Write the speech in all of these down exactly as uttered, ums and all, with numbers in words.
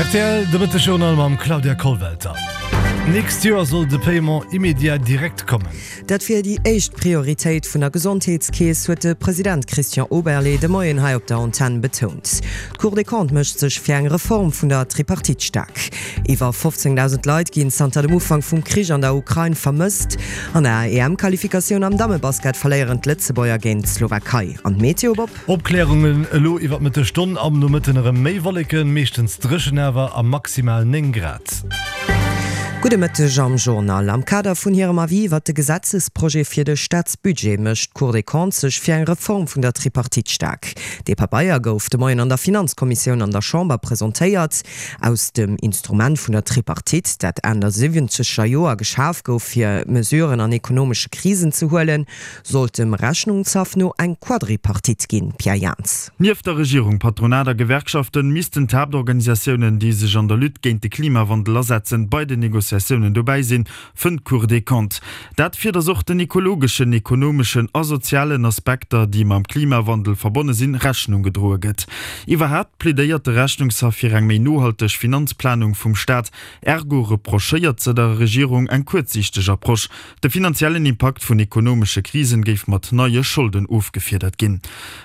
Rtl, De Mëtteg-Journal mam Claudia Kollwelter. D'nächst Joer soll de Paiement immédiat direct kommen. Dat wier déi éischt Prioritéit vun der Gesondheetskeess, huet de President Christian Oberlé de Moien hei op der Antenn betount. D'Cour des Comptes mécht sech fir eng Reform vun der Tripartite staark. Iwwer fofzéngdausend Leit ginn zanter dem Ufank vum Krich an der Ukrain vermësst. An der E M-Qualifikatioun am Dammebasket verléieren d'Lëtzebuerger géint d'Slowakei. An d'Meteo, Bob? Opklärungen elo iwwer d'Mëttesstonn, am Nomëtten erëm méi Wolleken, meeschtens dréchen awer a maximal néng Grad. Gudde Mëtteg am Journal. Am Kader vun hirem Avis iwwert de Gesetzesprojet fir de Staatsbudget mécht d'Cour des Comptes sech fir eng Reform vun der Tripartite staark. Dee Pabeier gouf de Moien an der Finanzkommissioun an der Chamber presentéiert. Aus dem Instrument vun der Tripartite, dat Enn der siwwenzeger Joer geschaf gouf fir Mesuren an ekonomesche Krisen ze huelen, sollt dem Rechnungshaff no eng Quadripartite ginn. Pierre Jans. Nieft der Regierung, Patronat a Gewerkschaften missten d'Haaptorganisatiounen, déi sech an der Lutte géint de Klimawandel asetzen, bei den Negociatiounen dobäi sinn, fënnt d'Cour des Comptes. Dat fir datt och den ekologeschen, ekonomeschen a sozialen Aspekter, déi mam Klimawandel verbonne sinn, Rechnung gedroe gëtt. Iwwerhaapt plädéiert de Rechnungshaff fir eng méi nohalteg Finanzplanung vum Staat. Ergo reprochéiert se der Regierung eng kuerzsiichteg Approche. De finanziellen Impakt vun ekonomesche Krisen géif mat neie Scholden ofgefiedert ginn.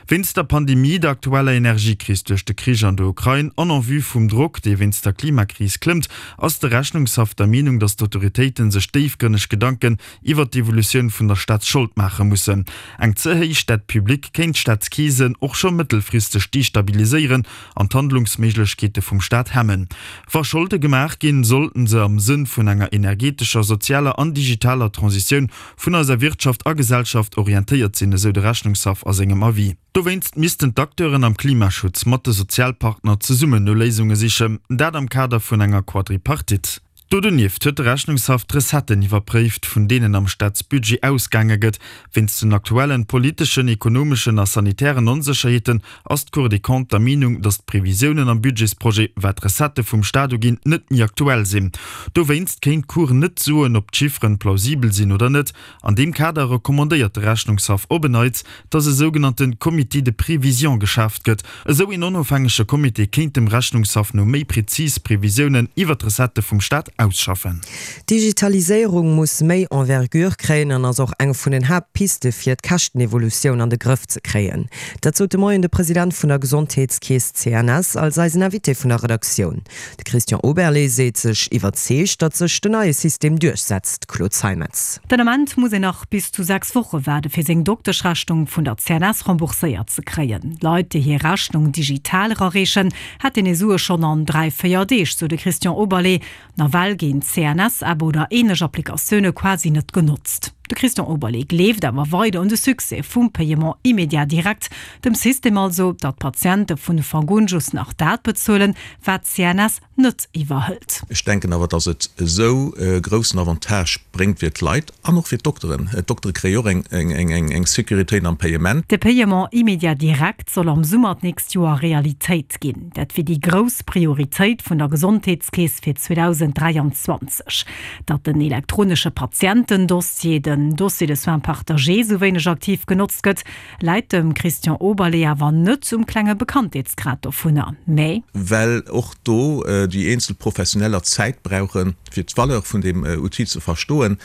Wéinst der Pandemie, der aktueller Energiekris duerch de Krich an der Ukrain an en vue vum Drock, dee wéinst der Klimakris klëmmt, ass de Rechnungshaff der Meenung, datt d'Autoritéite sech déifgrënneg Gedanken iwwert d'Evolutioun vun der Staatsschold maache mussen. Eng ze héich Dette publique kéint d'Staatskeesen och scho mëttelfristeg destabiliséieren an d'Handlungsméiglechkeete vum Staat hemmen. Wa Scholde gemaach ginn, sollten se am Sënn vun enger energetescher, sozialer an digitaler Transitioun vun eiser Wirtschaft a Gesellschaft orientéiert sinn, esou de Rechnungshaff a sengem Avis. Dowéinst missten d'Acteuren am Klimaschutz mat de Sozialpartner zesummen no Léisunge sichen, dat am Kader vun enger Quadripartite. Do donieft huet de Rechnungshaff d'Recetten iwwerpréift, vun deenen am Staatsbudget ausgaange gëtt. Wéinst den aktuellen politeschen, ekonomeschen a sanitären Onsécherheeten ass d'Cour des Comptes der Meenung, datt d'Previsiounen am Budgetsprojet, wat d'Recettë vum Staat uginn, net méi aktuell sinn. Dowéinst kéint d'Cour net soen, ob d'Chifferen plausibel sinn oder net. An deem Kader recommandéiert de Rechnungshaff op en Neits, datt e sougenannte Comité de prévision geschaaft gëtt. Esou een onofhängege Comité kéint dem Rechnungshaff no méi prezis Previsiounen iwwer d'Recettë vum Staat ausschaffen. D'Digitaliséierung muss méi Envergure kréien an ass och eng vun den Haaptpiste fir d'Käschtenevolutioun an de Grëff ze kréien. Dat sot de Moien de President vun der Gesondheetskeess C N S als eisen Invité vun der Redaktioun. De Christian Oberlé seet sech iwwerzeegt, datt sech den neie System duerchsetzt. Claude Zeimetz. Den Ament muss een nach bis zu sechs Woche waarde fir seng Dokteschrechnung vun der C N S rembourséiert ze kréien. Leit, déi hir Rechnung digital erareechen, hätten hir Sue schonn an dräi, véier Deeg, sou de Christian Oberlé. Nawell ginn d'C N S-App oder ähnlech Applikatioune quasi net genotzt. De Christian Oberlé gleeft awer weider un de Succès vum Paiement immédiat direct, dem System also, datt d'Patiente vun Ufank un just nach dat bezuelen, wat d'C N S net iwwerhëlt. Ech denken awer, datt et esou e groussen Avantage bréngt fir d'Leit an och fir d'Dokteren. D'Doktere kréie och eng Sécuritéit am Paiement. De Paiement immédiat direct soll am Summer d'nächst Joer Realitéit ginn. Dat wier déi grouss Prioritéit vun der Gesondheetskeess fir zweedausend dräianzwanzeg. Datt den elektronesche Patientendossier, den Dossier de soins partagé, sou wéineg aktiv genotzt gëtt, läit dem Christian Oberlé awer net um klenge Bekanntheetsgrad dovunner, mä. Well och do déi eenzel Professioneller Zäit brauchen, fir d'Valeur vun deem Outil ze verstoen.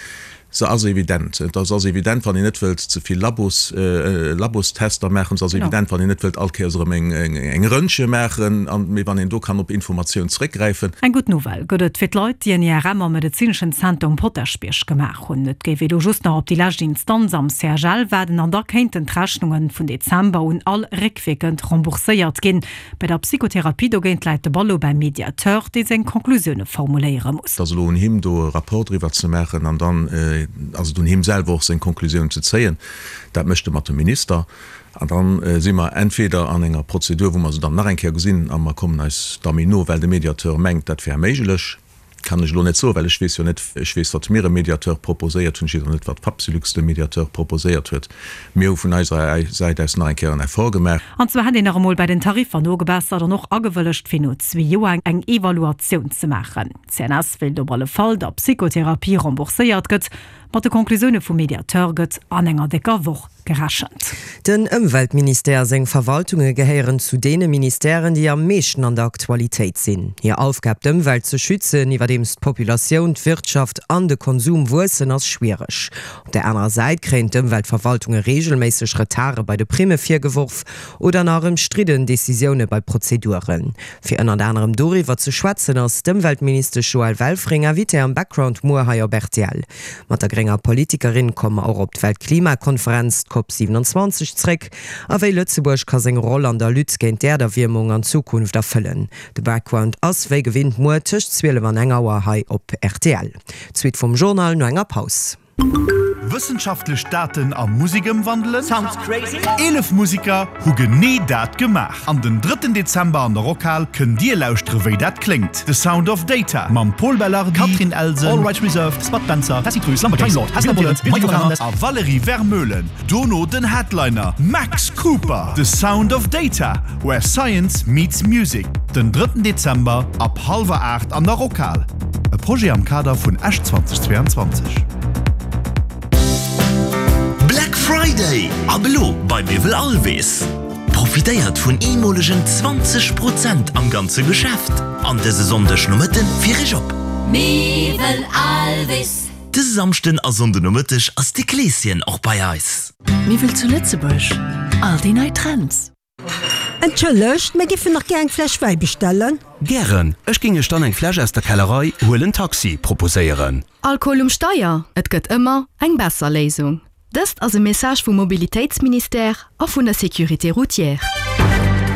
Se ass evident. Et ass evident, wann een net wëllt ze vill Labos, Labostester maachen. Se ass evident, wann een net wëllt all Kéiers erëm eng Röntge maachen, mee wann een do kann op Informatioun zréckgräifen. Eng gutt Nouvelle gëtt et fir d'Leit, déi en I R M am medezineschen Zenter um Potaschbierg gemaach hunn. Et géif ee lo just nach op déi lescht Instanz am C H L waarden an da kéinten d'Rechnunge vun Dezember un all réckwierkend rembourséiert ginn. Bei der Psychotherapie dogéint läit de Ball lo beim Mediateur, dee seng Conclusioune formuléiere muss. Et ass elo un him, do e Rapport driwwer ze maachen an dann ass et un him selwer och seng Conclusioun ze zéien. Dat mécht e mat dem Minister. An da si mer entweder an enger Prozedur, wou mer se dann nach eng Kéier gesinn a mer kommen eis da méi no, well de Mediateur mengt, dat wär méiglech. Kann ech elo net soen, well ech weess jo net, ech weess, wat mir dem Mediateur proposéiert hunn, ech weess och net, wat d'Fapsylux dem Mediateur proposéiert huet. Mir hu vun eiser Säit aus nach eng Kéier en Effort gemaach. An zwar hätt een nach emol bei den Tariffer nogebessert an och agewëllegt, fir no zwee Joer eng Evaluatioun ze maachen. D'CNS wéilt op alle Fall, datt Psychotherapie rembourséiert gëtt. Mat de Conclusioune vum Mediateur gëtt an enger décker Woch gerechent. Den Ëmweltministère a seng Verwaltunge gehéieren zu deene Ministèren, déi am meeschten an der Aktualitéit sinn. Hir Aufgab, d'Ëmwelt ze schützen, iwwerdeems d'Populatioun, d'Wirtschaft an de Konsum wuessen, ass schwiereg. Op där anerer Säit kréien d'Ëmweltverwaltunge reegelméisseg Retarde bei de Primme virgeworf oder nach ëmstridden Decisioune bei Prozeduren. Fir ënnert anerem doriwwer ze schwätzen, ass d'Ëmweltministesch Joëlle Welfring Invitée am Background muer hei op rtl. Mat der grénger Politikerin komme mer och op d'Weltklimakonferenz, d'Cop siewenundzwanzeg, zréck a wéi Lëtzebuerg ka seng Roll an der Lutte géint d'Äerderwiermung an Zukunft erfëllen. De Background ass wéi gewinnt muer tëscht zwielef an eng Auer hei op rtl. D'Suite vum Journal no enger Paus. Wëssenschaftlech Daten a Musek ëmwandelen? Eelef Museker hu genee dat gemaach. An den drëtten Dezember an der Rockhal kënnt Dir lauschtere wéi dat kléngt. The Sound of Data mam Pol Belardi, Catherine Elsen, All Rights Reserved, Spud Spencer, Tessy Truss, Lumberjanes, Lord, Hester Bullen, Michael Fernandes a Valérie Vermeulen. Dono den Headliner Max Cooper. The Sound of Data, where science meets music. Den drëtten Dezember ab hallwer aacht an der Rockhal. E Projet am Kader vun Esch zweitausendzweiundzwanzeg. Black Friday ab elo bei Miwwel Alwis! Profitéiert vun eemolegen zwanzeg Prozent am ganze Geschäft an dëse Sonndeg Nomëtte fir Iech op. Miwwel Alwis! Dëse Samschden a Sonnde Nomëtteg ass de Kleeschen och bei eis. Miwwel zu Lëtzebuerg, all déi nei Trends. Entschëllegt, mir giffen nach gär eng Fläsch Wäi bestellen. Gären, ech géing iech dann eng Fläsch aus der Kellerei Huelen Taxi proposéieren. Alkohol um Steier, et gëtt ëmmer eng besser Léisung. Dëst ass e Message vum Mobilitéitsministère a vun der Sécurité routière.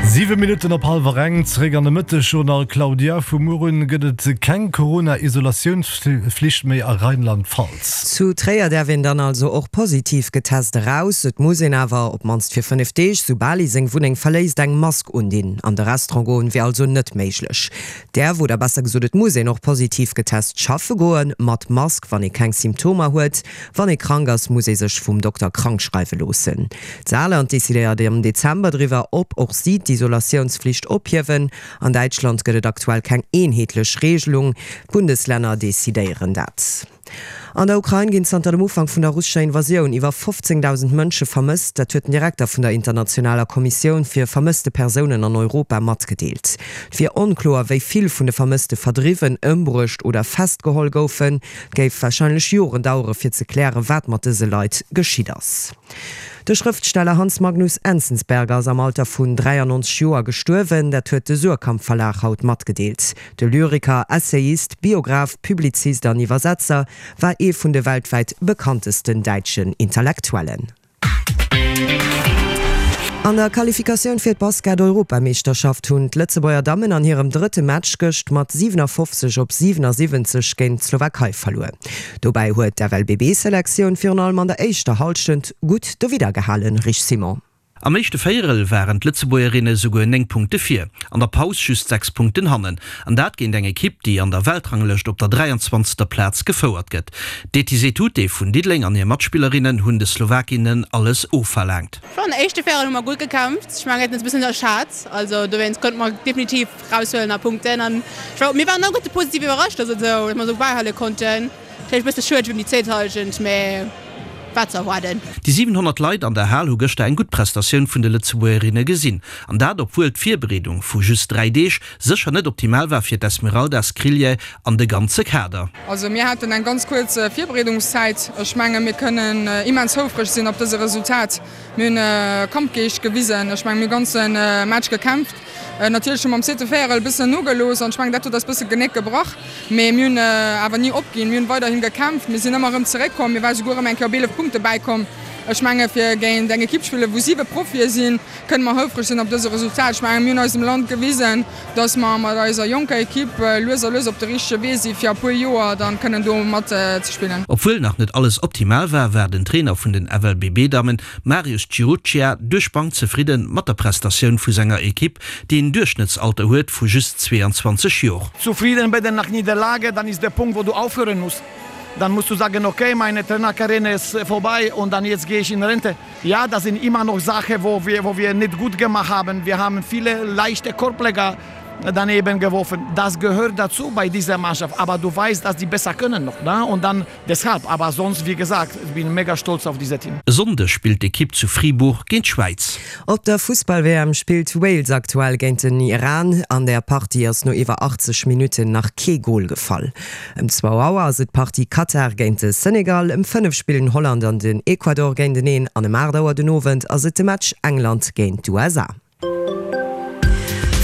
Siwe Minutten op hallwer eng, zeréck an de Mëttesjournal. Claudia, vu muer un gëtt et keng Corona-Isolatiounsflicht méi a Rheinland-Pfalz. Zu Tréier däerf een dann also och positiv getest eraus. Et muss een awer, op d'mannst fir fënnef Deeg, soubal ee seng Wunneng verléisst, eng Mask undinn. An de Restaurant goen wier also net méiglech. Däerf, oder besser gesot et muss een och positiv getest schaffe goen, mat Mask, wann ee keng Symptomer huet. Wann ee krank ass, muss ee sech vum Dokter krank schreiwe loossen. D'Saarland decidéiert am Dezember driwwer, ob och si d'Isolatiounsflicht ophiewen. An Däitschland gëtt et aktuell keng eenheetlech Reegelung, d'Bundeslänner decidéieren dat. An der Ukrain ginn zanter dem Ufank vun der russescher Invasioun iwwer fofzéngdausend Mënsche vermësst. Dat huet den Direkter vun der internationaler Kommissioun fir vermësste Persounen an Europa matgedeelt. Et wier onkloer, wéi vill vun de Vermësste verdriwwen, ëmbruecht oder festgeholl goufen. Et géif warscheinlech Joren dauere fir ze klären, wat mat dëse Leit geschitt ass. De Schrëftsteller Hans Magnus Enzensberger ass am Alter vun dräiannonzeg Joer gestuerwen. Dat huet de Suhrkamp Verlag haut matgedeelt. De Lyriker, Essayist, Biograph, Publizist an Iwwersetzer war ee vun de weltwäit bekanntesten däitschen Intellektuellen. An der Qualifikatioun fir d'Basket-Europameeschterschaft hunn d'Lëtzebuerger Dammen an hirem drëtte Match gëscht mat siwenafofzeg op siwenasiwwenzeg géint d'Slowakei verluer. Dobäi huet d'F L B B-Selektioun virun allem an der éischter Hallschent gutt dowidder gehalen, Rich Simon. Am éischte Véierel waren d'Lëtzebuergerinne souguer néng Punkte vir, an der Paus just sechs Punkten hannen. An dat géint eng Ekipp, déi an der Weltranglëscht op der dräianzwanzegster Plaz gefouert gëtt. D'Etise Tute vun Diddeleng an hir Matspillerinnen hunn de Slowakinnen alles ofverlaangt. Schonn éischte Véierel hu mer gutt gekämpft. Ech mengen, mir hätten eis e bëssen ënnerschat. Also dowéinst konnte mer definitiv raushuelen a Punkten. An ech war, mir waren alleguerte positiv iwwerrascht, dass et esou, dass mer esou bäihale konnten. Vläicht e bësse schued ëm déi zweet Hallschent, mä war ze erwaarden. Déi siwenhonnert Leit an der Hal hu gëschter eng gutt Prestatioun vun de Lëtzebuergerinne gesinn. An dat obwuel d'Virbereedung vu just dräi Deeg sécher net optimal war fir d'Esmeralda Skriljay an de ganze Kader. Also mir haten eng ganz kuerz Virbereedungszäit. Ech menge mir kënnen immens houfreg sinn op dëse Resultat. Mir hunn Kampfgeescht gewisen. Ech menge mir hu ganze Match gekämpft. Natierlech hu mer am zweete Véierel e bëssen nogelooss an ech mengen dat huet eis bësse d'Genéck gebrach. Mee mir hunn awer ni opginn. Mir hunn weiderhi gekämpft. Mir sinn ëmmer erëm zeréckkomm. Mir ware souguer erëm eng Kéier op eelef Punkte bäikomm. Ech menge fir géint eng Ekipp spillen, wou siwe Profie sinn, kënne mer houfreg sinn op dëse Resultat. Ech menge mir hunn eisem Land gewisen, datt mer mat eiser jonker Ekipp lues a lues op de richtege Wee si fir a puer Joer dann kënnen do mat ze spillen. Obwuel nach net alles optimal war, war den Trainer vun den F L B B-Dammen, Marius Ciruccia, duerch d'Bank zefridde mat der Prestatioun vu senger Ekipp, déi en Duerchschnëttsalter huet vu just zweeanzwanzeg Joer. Zufrieden werden nach Niederlage, dann ist der Punkt, wo du aufhören musst. Dann musst du sagen, okay, meine Trainerkarriere ist vorbei und dann jetzt gehe ich in Rente. Ja, das sind immer noch Sachen, wo wir, wo wir nicht gut gemacht haben. Wir haben viele leichte Korbleger daneben geworfen. Das gehört dazu bei dieser Mannschaft. Aber du weißt, dass die besser können noch. Ne? Und dann deshalb. Aber sonst, wie gesagt, ich bin mega stolz auf dieses Team. E Sonndeg spillt d'Ekipp zu Fribourg géint d'Schwäiz. Op der Fussball-W M spillt Wales aktuell géint den Iran. An der Partie ass no iwwer achtzeg Minutten nach kee Gol gefall. Ëm zwou Auer ass et d'Partie Katar géint de Senegal, ëm fënnef spillen Holland an den Ecuador géinteneen an ëm aacht Auer den Owend ass et de Match England géint d'U S A.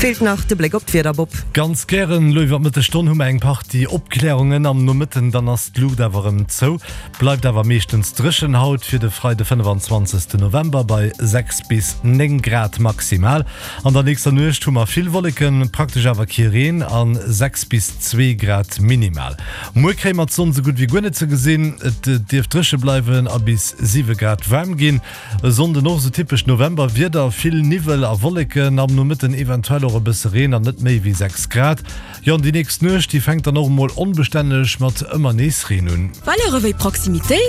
Feelt nach de Bléck op d'Wieder, Bob. Ganz gären. Elo iwwer d'Mëttesstonn hu mer eng Partie Opklärungen. Am Nomëtten dann ass d'Luucht awer erëm zou. Bleift awer meeschtens dréchen haut fir de Freide fënnefanzwanzegsten November bei sechs bis néng Grad maximal. An der nächster Nuecht hu mer vill Wolleken, praktesch awer kee Reen a sechs bis zwee Grad minimal. Muer kréie mer d'Sonn sou gutt wéi guer net ze gesinn. Et dierft dréche bleiwen a bis siwe Grad waarm ginn. E Sonnden och sou typesch Novemberwieder, vill Niwwel a Wolleken, am Nomëtten eventuell och e bësse Reen an net méi wéi sechs Grad. Jo, an déi nächst Nuecht, déi fänkt dann och emol onbestänneg mat ëmmer nees Reen un. Valeuren wéi Proximitéit.